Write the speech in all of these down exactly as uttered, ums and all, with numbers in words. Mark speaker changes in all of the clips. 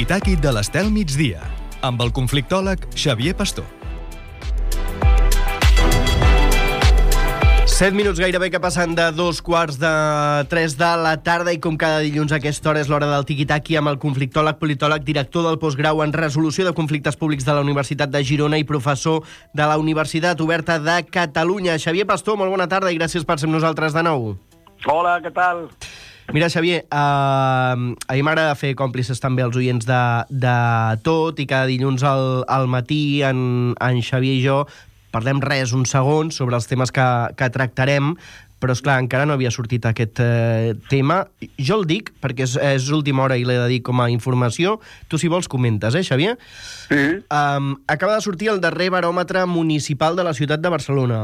Speaker 1: Tiki-Taki de l'Estel Migdia, amb el conflictòleg Xavier Pastor.
Speaker 2: Set minuts gairebé que passen de dos quarts de tres de la tarda i com cada dilluns a aquesta hora és l'hora del Tiki-Taki amb el conflictòleg, politòleg, director del postgrau en resolució de conflictes públics de la Universitat de Girona i professor de la Universitat Oberta de Catalunya. Xavier Pastor, molt bona tarda i gràcies per ser amb nosaltres de nou.
Speaker 3: Hola, què tal?
Speaker 2: Mira, Xavier, eh, a mi m'agrada fer còmplices també als oients de, de tot i cada dilluns al, al matí en, en Xavier i jo parlem res, uns segons, sobre els temes que, que tractarem, però, esclar, encara no havia sortit aquest eh, tema. Jo el dic perquè és, és última hora i l'he de dir com a informació. Tu, si vols, comentes, eh, Xavier?
Speaker 3: Sí.
Speaker 2: Um, acaba de sortir el darrer baròmetre municipal de la ciutat de Barcelona.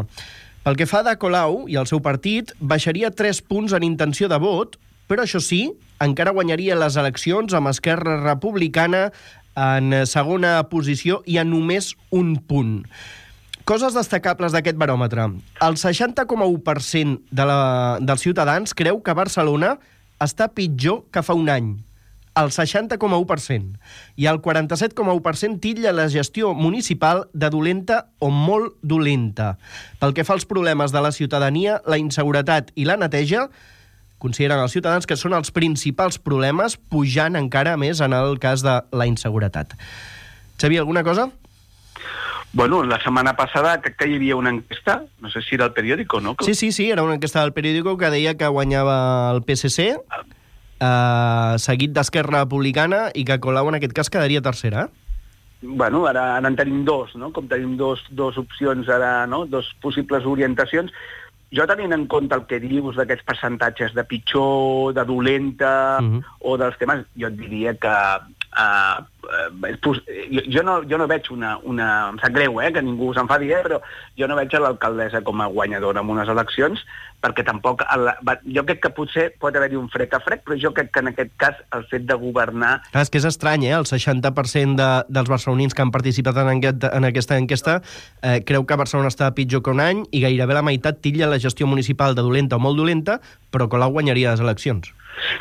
Speaker 2: Pel que fa de Colau i el seu partit, baixaria tres punts en intenció de vot, però això sí, encara guanyaria les eleccions amb Esquerra Republicana en segona posició i a només un punt. Coses destacables d'aquest baròmetre. El seixanta coma u per cent de la, dels ciutadans creu que Barcelona està pitjor que fa un any. El seixanta coma u per cent. I el quaranta-set coma u per cent titlla la gestió municipal de dolenta o molt dolenta. Pel que fa als problemes de la ciutadania, la inseguretat i la neteja, consideren els ciutadans que són els principals problemes, pujant encara més en el cas de la inseguretat. Xavier, alguna cosa?
Speaker 3: Bueno, la setmana passada crec que hi havia una enquesta, no sé si era el periòdico, no?
Speaker 2: Sí, sí, sí, era una enquesta del periòdico que deia que guanyava el P S C, eh, seguit d'Esquerra Republicana, i que Colau en aquest cas quedaria tercera.
Speaker 3: Bueno, ara, ara en tenim dos, no? Com tenim dos, dos opcions ara, no? Dos possibles orientacions. Jo tenint en compte el que dius d'aquests percentatges de pitjor, de dolenta, uh-huh. o dels temes, jo et diria que uh, uh, jo, jo, no, jo no veig una, una... Em sap greu, eh, que ningú s'enfadi, eh, però jo no veig a l'alcaldessa com a guanyadora en unes eleccions, perquè tampoc... El, jo crec que potser pot haver-hi un frec a frec, però jo crec que en aquest cas el fet de governar...
Speaker 2: Clar, és que és estrany, eh? El seixanta per cent de, dels barcelonins que han participat en, aquest, en aquesta enquesta eh, creu que Barcelona està pitjor que un any i gairebé la meitat titlla la gestió municipal de dolenta o molt dolenta, però Colau guanyaria les eleccions.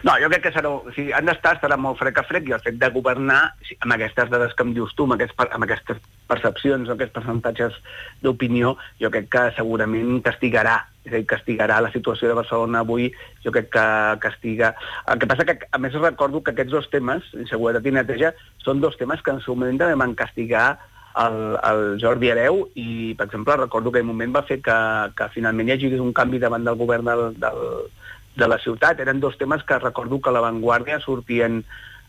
Speaker 3: No, jo crec que serà, o sigui, han d'estar, estarà molt frec a frec, i el fet de governar, amb aquestes dades que em dius tu, amb, aquests, amb aquestes percepcions, amb aquests percentatges d'opinió, jo crec que segurament castigarà, és a dir, castigarà la situació de Barcelona avui, jo crec que castiga... El que passa que, a més, recordo que aquests dos temes, inseguretat i neteja, són dos temes que en seu moment també van castigar el, el Jordi Hereu, i, per exemple, recordo que en un moment va fer que, que finalment hi hagi un canvi davant del govern del, del de la ciutat. Eren dos temes que recordo que a l'avantguàrdia sortien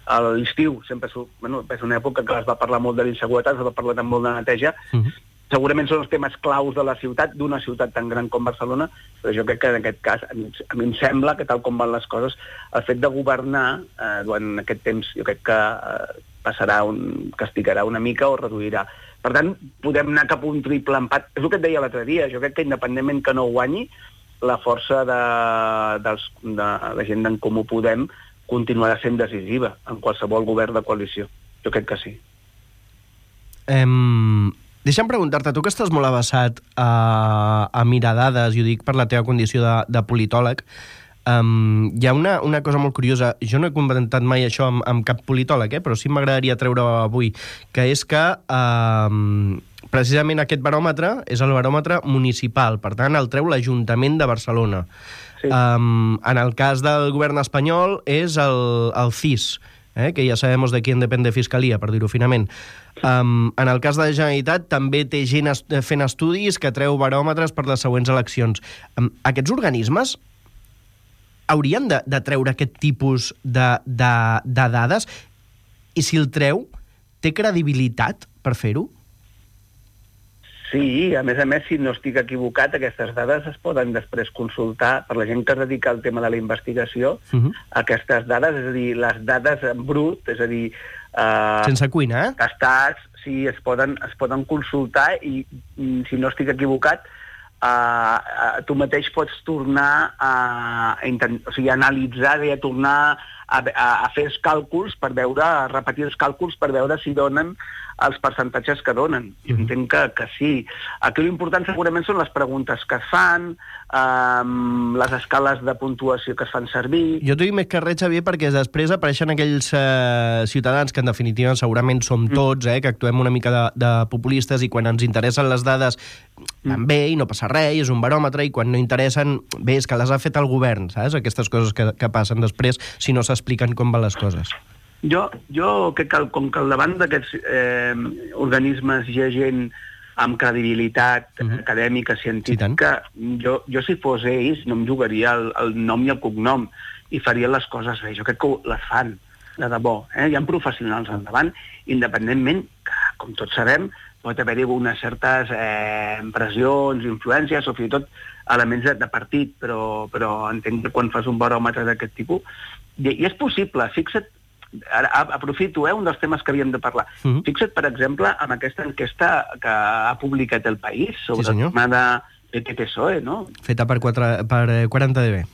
Speaker 3: a l'estiu. Sempre surt, bueno, és una època que es va parlar molt de l'inseguretat, es va parlar també molt de neteja. Uh-huh. Segurament són els temes claus de la ciutat, d'una ciutat tan gran com Barcelona, però jo crec que en aquest cas, a mi, a mi em sembla que tal com van les coses, el fet de governar eh, durant aquest temps, jo crec que eh, passarà, un, castigarà una mica o reduirà. Per tant, podem anar cap a un triple empat. És el que et deia l'altre dia, jo crec que independentment que no guanyi, la força de, dels, de la gent d'en Comú Podem continuarà sent decisiva en qualsevol govern de coalició. Jo crec que sí.
Speaker 2: Um, deixa'm preguntar-te, tu que estàs molt avessat a, a mirar dades, i ho dic per la teva condició de, de politòleg, um, hi ha una, una cosa molt curiosa. Jo no he comentat mai això amb, amb cap politòleg, eh, però sí m'agradaria treure avui, que és que... Um, precisament aquest baròmetre és el baròmetre municipal, per tant el treu l'Ajuntament de Barcelona. Sí. Um, en el cas del govern espanyol és el, el C I S, eh, que ja sabem de qui depèn de Fiscalia, per dir-ho finament. Um, en el cas de la Generalitat també té gent est fent estudis que treu baròmetres per les següents eleccions. Um, aquests organismes haurien de, de treure aquest tipus de, de, de dades, i si el treu, té credibilitat per fer-ho?
Speaker 3: Sí, a més a més, si no estic equivocat, aquestes dades es poden després consultar per la gent que es dedica al tema de la investigació. Uh-huh. Aquestes dades, és a dir, les dades en brut, és a dir... Eh,
Speaker 2: sense cuina, eh?
Speaker 3: Estats, sí, es poden, es poden consultar i, si no estic equivocat, eh, tu mateix pots tornar a, a, intent, o sigui, a analitzar i a tornar a, a, a fer els càlculs per veure, a repetir els càlculs per veure si donen els percentatges que donen. Jo entenc que, que sí. Aquí l'important segurament són les preguntes que es fan, um, les escales de puntuació que es fan servir...
Speaker 2: Jo t'ho dic més que res, Xavier, perquè després apareixen aquells eh, ciutadans que en definitiva segurament som tots, eh, que actuem una mica de, de populistes i quan ens interessen les dades van bé i no passa res, i és un baròmetre, i quan no interessen, bé, és que les ha fet el govern, saps? Aquestes coses que, que passen després si no s'expliquen com van les coses.
Speaker 3: Jo, jo crec que com que al davant d'aquests eh, organismes hi ha gent amb credibilitat uh-huh. acadèmica, científica, sí, jo, jo si fos ells no em jugaria el, el nom i el cognom i faria les coses bé. Jo crec que les fan, de debò. Eh? Hi ha professionals al davant, independentment que, com tots sabem, pot haver-hi unes certes eh, pressions, influències o fins i tot elements de, de partit, però, però entenc que quan fas un baròmetre d'aquest tipus... I, i és possible, fixa't, ara aprofito, eh, un dels temes que havíem de parlar. Uh-huh. Fixa't, per exemple, amb aquesta enquesta que ha publicat El País sobre sí, el tema de P P P S O E, no?
Speaker 2: Feta per, quatre, per quaranta D B.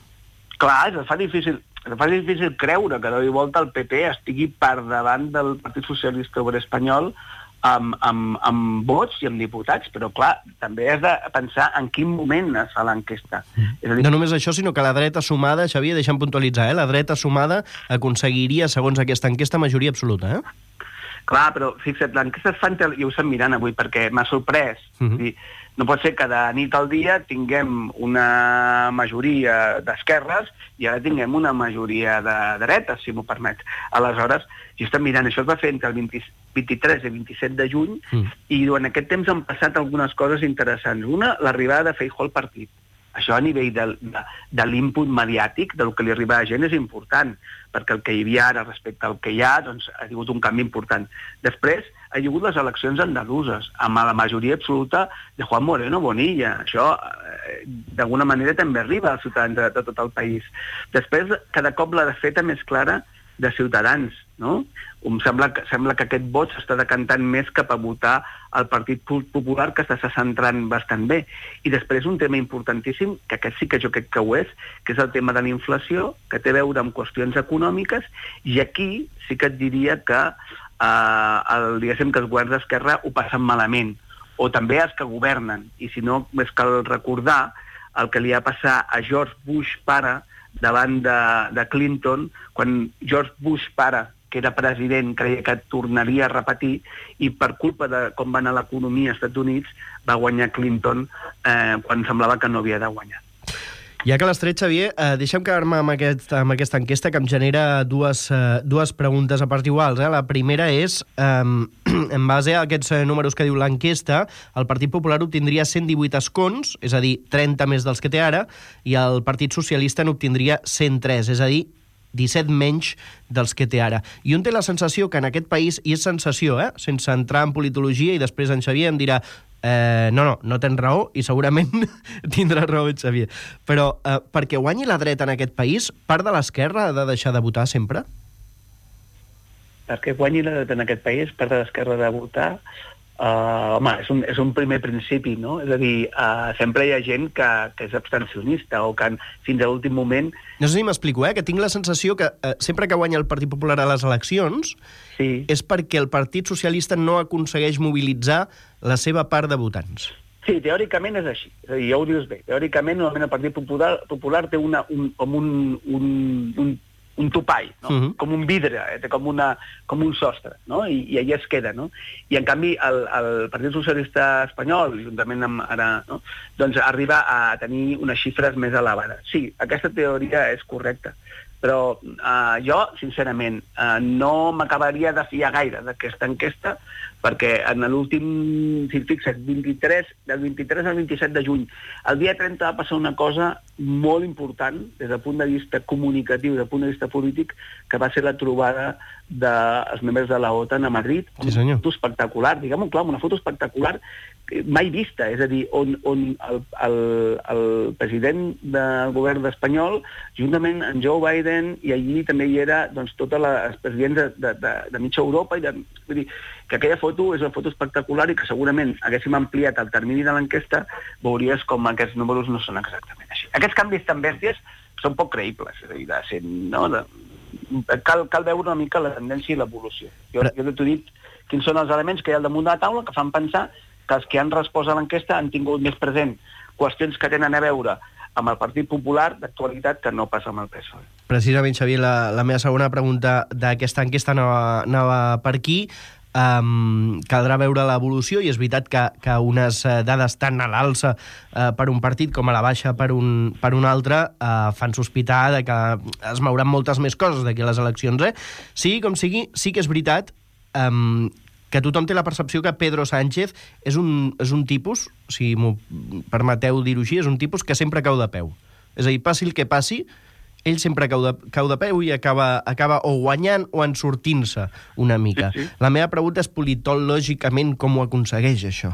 Speaker 3: Clar, es fa difícil, es fa difícil creure que de volta el P P estigui per davant del Partit Socialista Obrer Espanyol amb, amb, amb vots i amb diputats, però clar, també has de pensar en quin moment es fa l'enquesta.
Speaker 2: Mm. És a dir... No només això, sinó que la dreta sumada, Xavier, deixa'm puntualitzar, eh? La dreta sumada aconseguiria, segons aquesta enquesta, majoria absoluta, eh?
Speaker 3: Clar, però fixa't, l'enquesta es fan, i ho estem mirant avui, perquè m'ha sorprès. Uh-huh. És dir, no pot ser que de nit al dia tinguem una majoria d'esquerres i ara tinguem una majoria de dretes, si m'ho permet. Aleshores, jo estem mirant, això es va fer entre el vint, vint-i-tres i vint-i-set de juny uh-huh. i durant aquest temps han passat algunes coses interessants. Una, l'arribada de Feijóo al partit. Això a nivell de, de, de l'input mediàtic, del que li arriba a la gent, és important, perquè el que hi havia ara respecte al que hi ha, doncs, ha hagut un canvi important. Després, ha hagut les eleccions andaluses, amb la majoria absoluta de Juan Moreno Bonilla. Això, eh, d'alguna manera, també arriba als ciutadans de, de tot el país. Després, cada cop la feta més clara de Ciutadans, no? Em sembla que, sembla que aquest vot s'està decantant més cap a votar el Partit Popular, que s'està centrant bastant bé. I després un tema importantíssim, que aquest sí que jo crec que ho és, que és el tema de la inflació, que té a veure amb qüestions econòmiques, i aquí sí que et diria que, eh, el, diguéssim, que els governs d'esquerra ho passen malament, o també els que governen. I si no, més cal recordar el que li va passar a George Bush pare davant de, de Clinton, quan George Bush pare, que era president, creia que tornaria a repetir, i per culpa de com va anar l'economia als Estats Units, va guanyar Clinton eh, quan semblava que no havia de guanyar.
Speaker 2: Ja que l'has tret, Xavier, eh, deixa'm quedar-me amb, aquest, amb aquesta enquesta que em genera dues, eh, dues preguntes a part iguals. Eh? La primera és, eh, en base a aquests números que diu l'enquesta, el Partit Popular obtindria cent divuit escons, és a dir, trenta més dels que té ara, i el Partit Socialista n'obtindria cent tres, és a dir, disset menys dels que té ara. I un té la sensació que en aquest país, i és sensació, eh? sense entrar en politologia, i després en Xavier em dirà eh, no, no, no tens raó, i segurament tindrà raó en Xavier. Però eh, perquè guanyi la dreta en aquest país, part de l'esquerra ha de deixar de votar sempre?
Speaker 3: Perquè guanyi la dreta en aquest país, part de l'esquerra ha de votar... Uh, home, és un, és un primer principi, no? És a dir, uh, sempre hi ha gent que, que és abstencionista o que fins a l'últim moment...
Speaker 2: No sé si m'explico, eh? Que tinc la sensació que uh, sempre que guanya el Partit Popular a les eleccions sí. és perquè el Partit Socialista no aconsegueix mobilitzar la seva part de votants.
Speaker 3: Sí, teòricament és així. És a dir, ja ho dius bé. Teòricament, normalment el Partit Popular, Popular té una, un, com un... un, un un topall, no? Uh-huh. Com un vidre, eh? com, una, com un sostre, no? I, i allà es queda, no? I en canvi el, el Partit Socialista Espanyol, juntament amb ara, no? doncs arriba a tenir unes xifres més elevades. Sí, aquesta teoria és correcta, però eh, jo, sincerament, eh, no m'acabaria de fiar gaire d'aquesta enquesta, perquè en l'últim, si et fixes, vint-i-tres, del vint-i-tres al vint-i-set de juny, el dia trenta va passar una cosa molt important des del punt de vista comunicatiu, des del punt de vista polític, que va ser la trobada dels membres de la OTAN a Madrid.
Speaker 2: Sí, senyor.
Speaker 3: Una foto espectacular, diguem-ho clar, una foto espectacular mai vista, és a dir, on, on el, el, el president del govern espanyol, juntament amb Joe Biden, i allí també hi era doncs, tots els presidents de, de, de, de mitja Europa, i de, vull dir, que aquella foto és una foto espectacular i que segurament haguéssim ampliat el termini de l'enquesta, veuries com aquests números no són exactament així. Aquests canvis tan bèsties són poc creïbles, és a dir, de ser, no, de, cal, cal veure una mica la tendència i l'evolució. Jo, Però... jo t'he dit quins són els elements que hi ha al damunt de la taula que fan pensar que els que han respost a l'enquesta han tingut més present qüestions que tenen a veure amb el Partit Popular d'actualitat que no passa amb el P S O E.
Speaker 2: Precisament, Xavier, la, la meva segona pregunta d'aquesta enquesta anava, anava per aquí. Um, caldrà veure l'evolució i és veritat que, que unes dades tan a l'alça uh, per un partit com a la baixa per un, per un altre uh, fan sospitar de que es mouran moltes més coses d'aquí a les eleccions. Eh? Sigui com sigui, sí que és veritat um, que tothom té la percepció que Pedro Sánchez és un, és un tipus, si m'ho permeteu dir-ho així, és un tipus que sempre cau de peu. És a dir, passi el que passi, ell sempre cau de, cau de peu i acaba, acaba o guanyant o en sortint-se una mica. Sí, sí. La meva pregunta és politològicament com ho aconsegueix, això?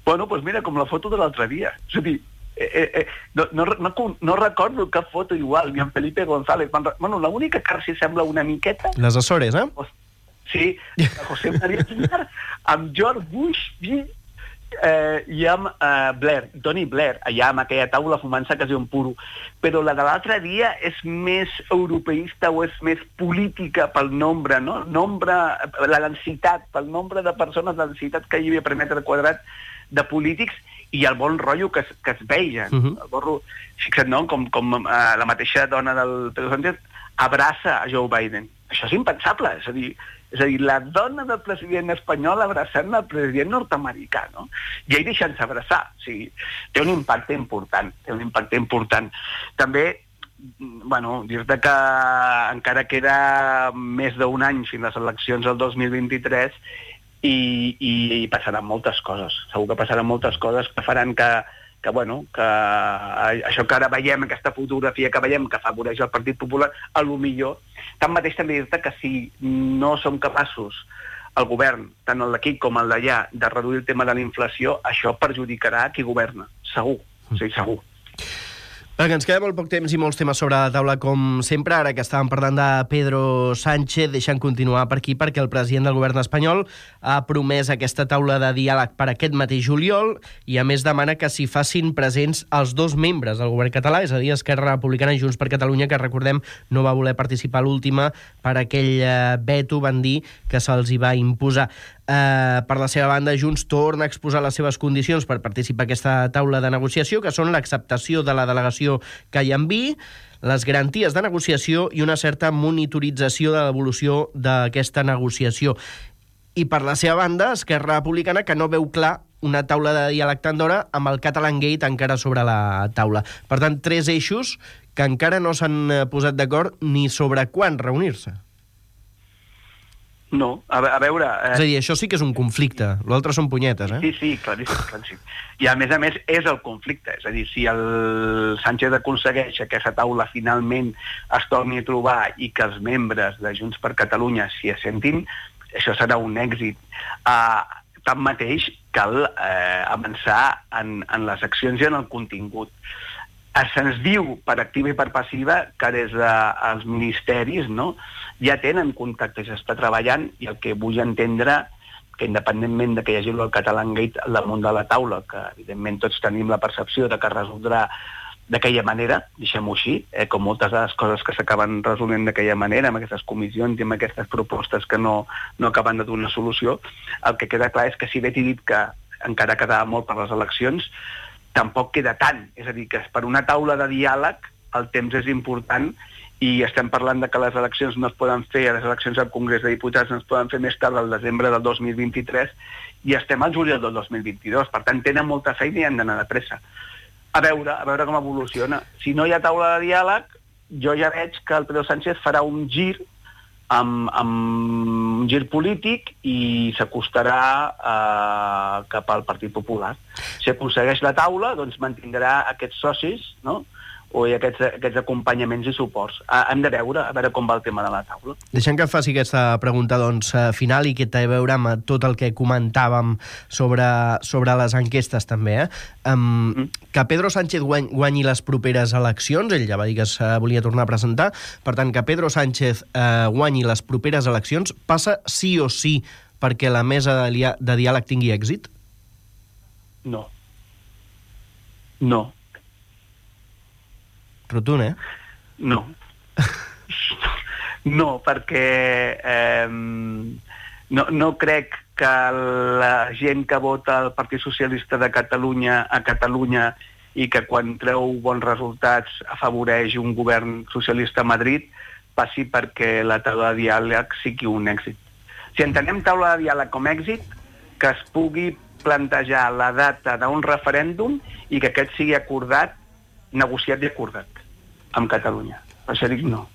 Speaker 3: Bueno, doncs mira, com la foto de l'altre dia. És a dir, eh, eh, eh, no, no, no, no recordo cap foto igual, ni en Felipe González. Bueno, l'única que s'hi sembla una miqueta...
Speaker 2: Les Açores, eh?
Speaker 3: Sí, José María Aznar, amb George Bush i, eh, i amb eh, Blair, Tony Blair, allà amb aquella taula fumant-se quasi un puro. Però la de l'altre dia és més europeista o és més política pel nombre, no? Nombre, la densitat, pel nombre de persones, la densitat que hi havia per metre quadrat de polítics i el bon rotllo que es, que es veia. Uh -huh. El bon, fixa't, no? Com, com eh, la mateixa dona del Pedro Sánchez abraça a Joe Biden. Això és impensable, és a dir, és a dir, la dona del president espanyol abraçant el president nord-americà, no? I ell deixant-se abraçar. O sigui, té un impacte important, té un impacte important. També, bueno, dir-te que encara queda més d'un any fins les eleccions del dos mil vint-i-tres i, i, i passaran moltes coses. Segur que passaran moltes coses que faran que, que, bueno, que això que ara veiem, aquesta fotografia que veiem que afavoreix el Partit Popular, a lo millor. Tanmateix també dir-te que si no som capaços, el govern, tant el d'aquí com el d'allà, de reduir el tema de la inflació, això perjudicarà qui governa, segur, o sigui, segur.
Speaker 2: Que ens queda molt poc temps i molts temes sobre la taula, com sempre. Ara que estàvem parlant de Pedro Sánchez, deixant continuar per aquí, perquè el president del govern espanyol ha promès aquesta taula de diàleg per aquest mateix juliol i, a més, demana que s'hi facin presents els dos membres del govern català, és a dir, Esquerra Republicana i Junts per Catalunya, que, recordem, no va voler participar a l'última per aquell veto, van dir, que se'ls hi va imposar. Uh, per la seva banda, Junts torna a exposar les seves condicions per participar en aquesta taula de negociació, que són l'acceptació de la delegació que hi enviï, les garanties de negociació i una certa monitorització de l'evolució d'aquesta negociació. I per la seva banda, Esquerra Republicana, que no veu clar una taula de diàleg tan d'hora amb el Catalangate encara sobre la taula. Per tant, tres eixos que encara no s'han posat d'acord ni sobre quan reunir-se.
Speaker 3: No, a, a veure... Eh...
Speaker 2: És a dir, això sí que és un conflicte. L'altre són punyetes, eh?
Speaker 3: Sí, sí, claríssim, claríssim. I a més a més és el conflicte. És a dir, si el Sánchez aconsegueix que aquesta taula finalment es torni a trobar i que els membres de Junts per Catalunya s'hi assentin, això serà un èxit. Uh, tanmateix, cal eh, avançar en, en les accions i en el contingut. Se'ns diu per activa i per passiva que des dels ministeris, no, ja tenen contactes, s'està treballant, i el que vull entendre que independentment de que hi hagi el Catalangate al damunt de la taula, que evidentment tots tenim la percepció de que es resoldrà d'aquella manera, deixem-ho així, eh, com moltes de les coses que s'acaben resolent d'aquella manera, amb aquestes comissions i amb aquestes propostes que no, no acaben de donar solució, el que queda clar és que si bé t'he dit que encara quedava molt per les eleccions, tampoc queda tant. És a dir, que per una taula de diàleg el temps és important i estem parlant de que les eleccions no es poden fer, les eleccions al Congrés de Diputats no es poden fer més tard, al desembre del dos mil vint-i-tres, i estem al juliol del dos mil vint-i-dos. Per tant, tenen molta feina i han d'anar de pressa. A veure, a veure com evoluciona. Si no hi ha taula de diàleg, jo ja veig que el Pedro Sánchez farà un gir amb, amb un gir polític i s'acostarà eh, cap al Partit Popular. Si aconsegueix la taula, doncs mantindrà aquests socis, no?, o aquests, aquests acompanyaments i suports. Hem de veure, a veure com va el tema de la taula.
Speaker 2: Deixem que faci aquesta pregunta doncs, final i que té a veure amb tot el que comentàvem sobre, sobre les enquestes també. Eh? Um, mm. Que Pedro Sánchez guany, guanyi les properes eleccions, ell ja va dir que es volia tornar a presentar, per tant, que Pedro Sánchez eh, guanyi les properes eleccions passa sí o sí perquè la mesa de, lia, de diàleg tingui èxit?
Speaker 3: No. No.
Speaker 2: Rotund, eh?
Speaker 3: No. No, perquè eh, no, no crec que la gent que vota el Partit Socialista de Catalunya a Catalunya i que quan treu bons resultats afavoreix un govern socialista a Madrid passi perquè la taula de diàleg sigui un èxit. Si entenem taula de diàleg com èxit, que es pugui plantejar la data d'un referèndum i que aquest sigui acordat, negociat i acordat amb Catalunya. Per això dic no.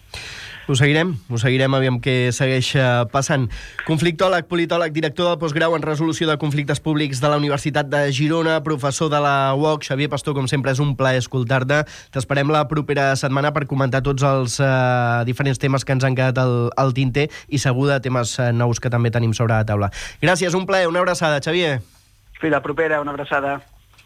Speaker 2: Ho seguirem, ho seguirem, aviam què segueix passant. Conflictòleg, politòleg, director del postgrau en resolució de conflictes públics de la Universitat de Girona, professor de la U O C, Xavier Pastor, com sempre és un plaer escoltar-te. T'esperem la propera setmana per comentar tots els uh, diferents temes que ens han quedat al, al tinter i segur de temes uh, nous que també tenim sobre la taula. Gràcies, un plaer, una abraçada, Xavier.
Speaker 3: Fins la propera, una abraçada.